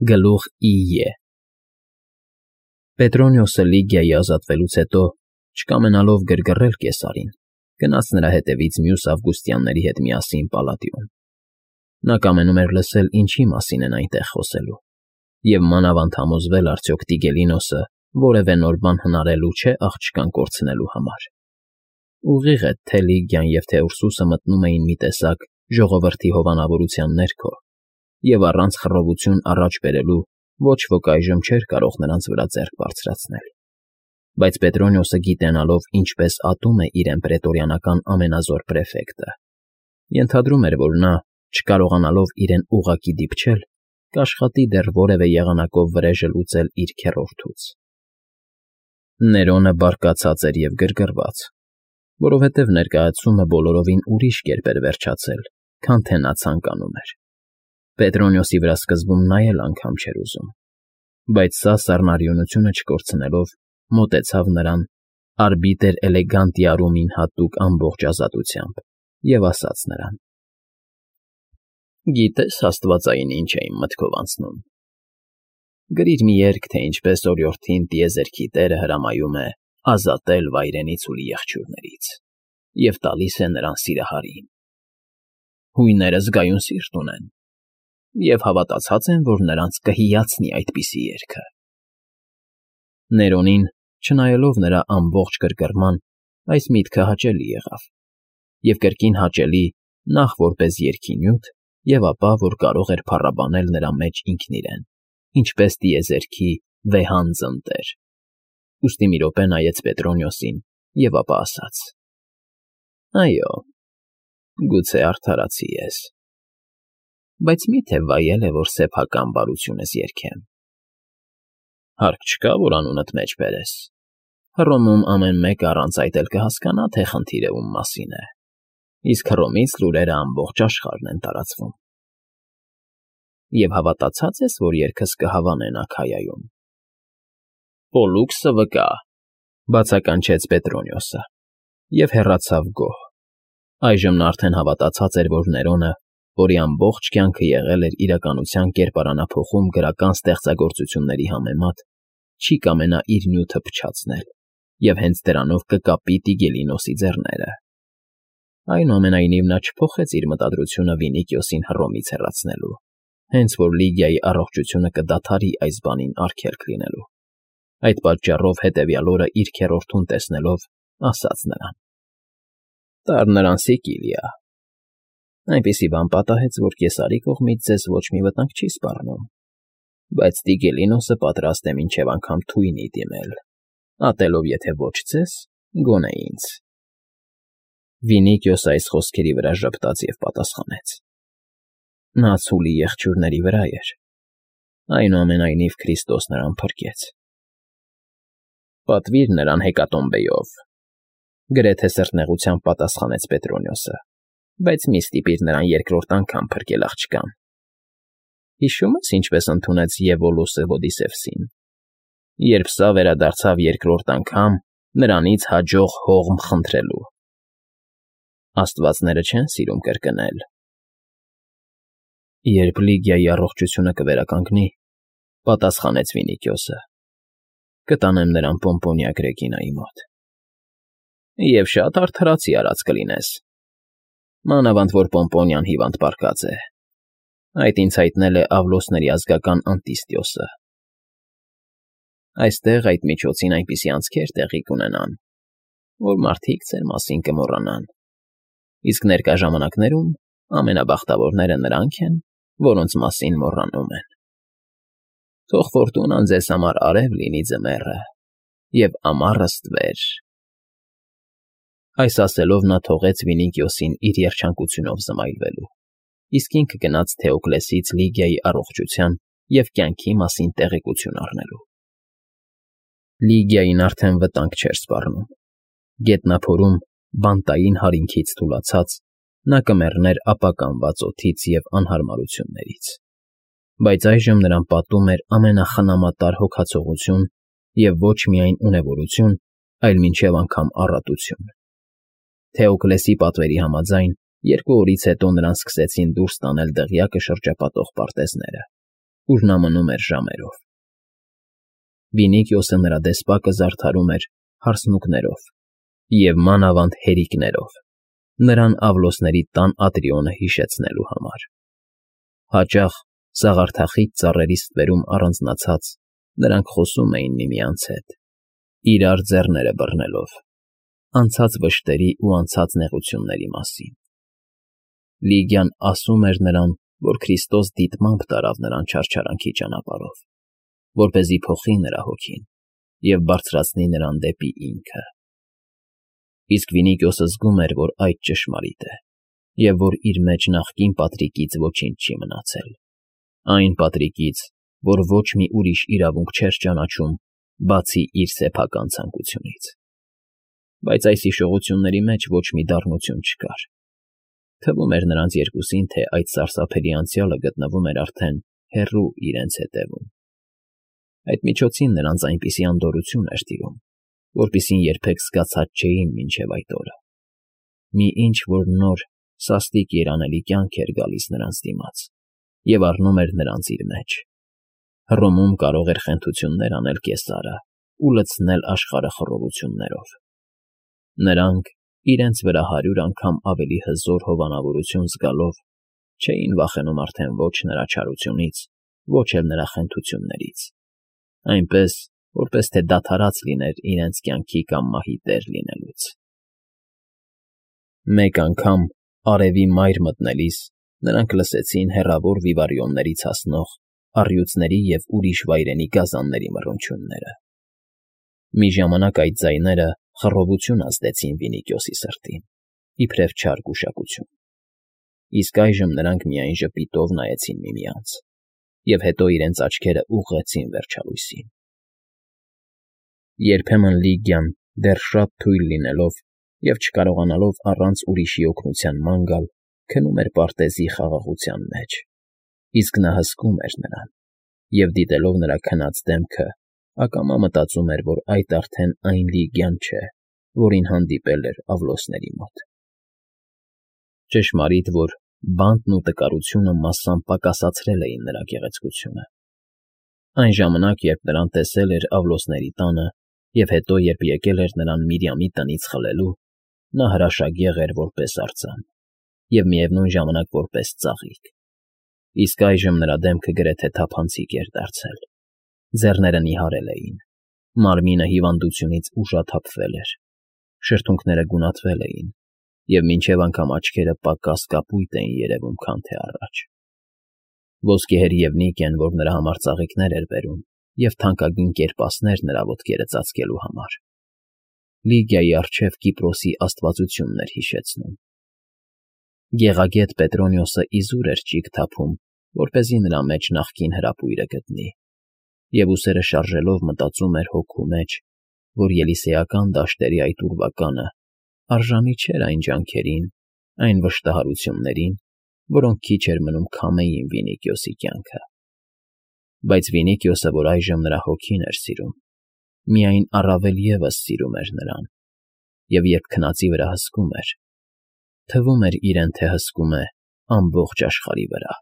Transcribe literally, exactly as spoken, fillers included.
Գլուխ Ի Պետրոնիոսը Լիգիայի ազատվելուց հետո, չկամենալով գրգռել կեսարին, գնաց նրա հետևից մյուս ավգուստյանների հետ միասին պալատիոն. նա կամենում էր լսել ինչի մասին են այնտեղ խոսելու և մանավանդ համոզվել արդյոք Տիգելինոսը որևէ նոր բան հնարելու չէ աղջկան կորցնելու համար. ուղիղ է, թե Լիգիան և թե Ուրսուսը մտնում էին մի տեսակ ժողովրդի հովանավորության ներքո և առանց խռովություն առաջ բերելու ոչ ոք այժմ չէր կարող նրանց վրա ձեռք բարձրացնել, բայց Պետրոնիոսը գիտենալով ինչպես ատում է իրեն պրետորիանական ամենազոր պրեֆեկտը, ենթադրում էր, որ նա, չկարողանալով իրեն ուղղակի դիպչել, կաշխատի դեռ որևէ եղանակով վրեժը լուծել իր քեռորդուց։ Ներոնը բարկացած էր և գրգռված, որովհետև ներկայացումը բոլորովին ուրիշ կերպ էր վերջացել, քան թե նա ցանկանում էր։ Պետրոնիոսի վրա սկզբում նա էլ անգամ չէր ուզում, բայց սա սառնարյունությունը չկորցնելով, մոտեցավ նրան արբիտր էլեգանտիարումին հատուկ ամբողջ ազատությամբ և ասաց նրան. «Գիտե՞ս աստվածային ինչ է իմ մտքով անցնում. գրիր մի երգ, թե ինչպես օրիորդին տիեզերքի տերը հրամայում է ազատել վայրենի ցուլի եղջյուրներից և տալիս է նրան սիրահարին. հույները զգայուն սիրտ ունեն և հավատացած են, որ նրանց կհիացնի այդպիսի երգը»։ Ներոնին, չնայելով նրա ամբողջ գրգռման, այս միտքը հաճելի եղավ, և կրկին հաճելի նախ որպես երգի նյութ և ապա, որ կարող էր փառաբանել նրա մեջ ինքն իրեն, ինչպես տիեզերքի վեհան ծնտեր, ուստի մի րոպե նայեց Պետրոնիոսին և ապա ասաց. «Այո, գուցե արդարացի ես, բայց մի՞թե վայել է, որ սեփական բարություն ես երգեմ։ Հարկ չկա, որ անունդ մեջ բերես. Հռոմում ամեն մեկը առանց այդ էլ կհասկանա, թե խնդիրը ում մասին է, իսկ Հռոմից լուրերը ամբողջ աշխարհն են տարածվում։ Եվ հավատացած ես, որ երգս կհավանեն Աքայայում»։ «Պոլլուքսը վկա», բացականչեց Պետրոնիոսը և հեռացավ գոհ։ Այժմ նա արդեն հավատացած էր, որ Ներոնը, որի ամբողջ կյանքը եղել էր իրականության կերպարանափոխում գրական ստեղծագործությունների համեմատ, չի կամենա իր նյութը փչացնել և հենց դրանով կկապի Տիգելինոսի ձեռները։ Այնուամենայնիվ նա չփոխեց իր մտադրությունը Վինիքիոսին Հռոմից հեռացնելու, հենց որ Լիգիայի առողջությունը կդադարի այս բանին արգելք լինելու։ Այդ պատճառով հետևյալ օրը իր քեռորդուն տեսնելով, ասաց նրան. «Տար նրան Սիկիլիա. այնպիսի բան պատահեց, որ Կեսարի կողմից ձեզ ոչ մի վտանգ չի սպառնում, բայց Տիգելինոսը պատրաստ է մինչև անգամ թույնի դիմել, ատելով եթե ոչ ձեզ, գոնե ինձ»։ Վինիքիոսը այս խոսքերի վրա ժպտաց և պատասխանեց. «Նա ցուլի եղջյուրների վրա էր, այնուամենայնիվ Քրիստոս նրան փրկեց»։ «Պատվիր նրան հեկատոմբեով», գրեթե սրտնեղությամբ պատասխանեց Պետրոնիոսը, «բայց մի ստիպիր նրան երկրորդ անգամ փրկել աղջկան։ Հիշո՞ւմ ես ինչպես ընդունեց Եվոլոսը Հոդիսևսին, երբ սա վերադարձավ երկրորդ անգամ նրանից հաջող հողմ խնդրելու։ Աստվածները չեն սիրում կրկնել»։ «Երբ Լիգիայի առողջությունը կվերականգնի, պատասխանեց Վինիքիոսը, կտանեմ նրան Պոմպոնիա Գրեգինայի մոտ։ Եվ շատ արդարացի արած կլինես, մանավանդ որ Պոմպոնիան հիվանդ պառկած է. այդ ինձ հայտնել է Ավլոսների ազգական Անտիստիոսը։ Այստեղ այդ միջոցին այնպիսի անցքեր տեղի կունենան, որ մարդիկ ձեր մասին կմոռանան, իսկ ներկա ժամանակներում ամենաբախտավորները նրանք են, որոնց մասին մոռանում են։ Թող Ֆորտունան ձեզ համար արև լինի ձմեռը և ամառը ստվեր»։ Այս ասելով նա թողեց Վինիքիոսին իր երջանկությունով զմայլվելու, իսկ ինքը գնաց Թեոկլեսից Լիգիայի առողջության և կյանքի մասին տեղեկություն առնելու։ Լիգիային արդեն վտանգ չէր սպառնում։ Գետնափորում, բանտային հարինքից թուլացած, նա կմեռներ ապականված օդից և անհարմարություններից, բայց այժմ նրան պատում էր ամենախնամատար հոգացողություն և ոչ միայն ունևորություն, այլ մինչև անգամ առատություն։ Թեոկլեսի պատվերի համաձայն, երկու օրից հետո նրան սկսեցին դուրս տանել դղյակը շրջապատող պարտեզները, ուր նա մնում էր ժամերով։ Վինիքիոսը նրա դեսպակը զարդարում էր հարսնուկներով և մանավանդ հերիկներով, նրան Ավլոսների տան Ատրիոնը հիշեցնելու համար։ Հաճախ, սաղարթախիտ ծառերի ստվերում առանձնացած, նրանք խոսում էին միմյանց հետ, իրար ձեռները բռնելով, անցած վշտերի ու անցած նեղությունների մասին։ Լիգիան ասում էր նրան, որ Քրիստոս դիտմամբ տարավ նրան չարչարանքի ճանապարհով, որպեսզի փոխի նրա հոգին և բարձրացնի նրան դեպի ինքը։ Իսկ Վինիքիոսը զգում էր, որ այդ ճշմարիտ է, և որ իր մեջ նախկին Պատրիկից ոչինչ չի մնացել, այն Պատրիկից, որ ոչ մի ուրիշ իրավունք չէր ճանաչում, բացի իր սեփական ցանկությունից։ Բայց այս հիշողությունների մեջ ոչ մի դառնություն չկար։ Թվում էր նրանց երկուսին, թե այդ սարսափելի անցյալը գտնվում էր արդեն հեռու իրենց հետևում։ Այդ միջոցին նրանց այնպիսի անդորրություն էր տիրում, որպիսին երբեք զգացած չէին մինչև այդ օրը։ Մի ինչ֊որ նոր, սաստիկ երանելի կյանք էր գալիս նրանց դիմաց և առնում էր նրանց իր մեջ։ Հռոմում կարող էր խենթություններ անել Կեսարը ու լցնել աշխարհը խռովություններով։ Նրանք, իրենց վրա հարյուր անգամ ավելի հզոր հովանավորություն զգալով, չէին վախենում արդեն ոչ նրա չարությունից, ոչ էլ նրա խենթություններից, այնպես, որպես թե դադարած լիներ իրենց կյանքի կամ մահի տեր լինելուց։ Մեկ անգամ, արևի մայր մտնելիս, նրանք լսեցին հեռավոր վիվարիոններից հասնող առյուծների և ուրիշ վայրենի գազանների մռնչյունները։ Մի ժամանակ այդ ձայները խռովություն ազդեցին Վինիքիոսի սրտին, իբրև չար գուշակություն, իսկ այժմ նրանք միայն ժպիտով նայեցին միմյանց և հետո իրենց աչքերը ուղղեցին վերջալույսին։ Երբեմն Լիգիան, դեռ շատ թույլ լինելով և չկարողանալով առանց ուրիշի օգնության ման գալ, քնում էր պարտեզի խաղաղության մեջ, իսկ նա հսկում էր նրան և, դիտելով նրա քնած դեմքը, ակամա մտածում էր, որ այդ արդեն այն Լիգիան չէ, որին հանդիպել էր Ավլոսների մոտ։ Ճշմարիտ, որ բանտն ու տկարությունը մասամբ պակասեցրել էին նրա գեղեցկությունը։ Այն ժամանակ, երբ նրան տեսել էր Ավլոսների տանը և հետո, երբ եկել էր նրան Միրիամի տնից խլելու, նա հրաշագեղ էր որպես արձան և միևնույն ժամանակ որպես ծաղիկ, իսկ այժմ նրա դեմքը գրեթե թափանցիկ էր դարձել, ձեռները նիհարել էին, մարմինը հիվանդությունից ուժաթափվել էր, շրթունքները գունատվել էին և մինչև անգամ աչքերը պակաս կապույտ էին երևում, քան թե առաջ։ Ոսկեհեր և նիկեն, որ նրա համար ծաղիկներ էր բերում և թանկագին կերպասներ նրա ոտքերը ծածկելու համար, Լիգիայի առջև Կիպրոսի աստվածությունն էր հիշեցնում։ Գեղագետ Պետրոնիոսը իզուր էր ճիգ թափում, որպեսզի նրա մեջ նախկին հրապույրը գտնի, և ուսերը շարժելով մտածում էր հոգու մեջ, որ ելիսեական դաշտերի այդ ուրվականը արժանի չէր այն ջանքերին, այն վշտահարություններին, որոնք քիչ էր մնում քամեին Վինիքիոսի կյանքը։ Բայց Վինիքիոսը, որ այժմ նրա հոգին էր սիրում, միայն առավել ևս սիրում էր նրան, և երբ քնածի վրա հսկում էր, թվում էր իրեն, թե հսկում է ամբողջ աշխարհի վրա։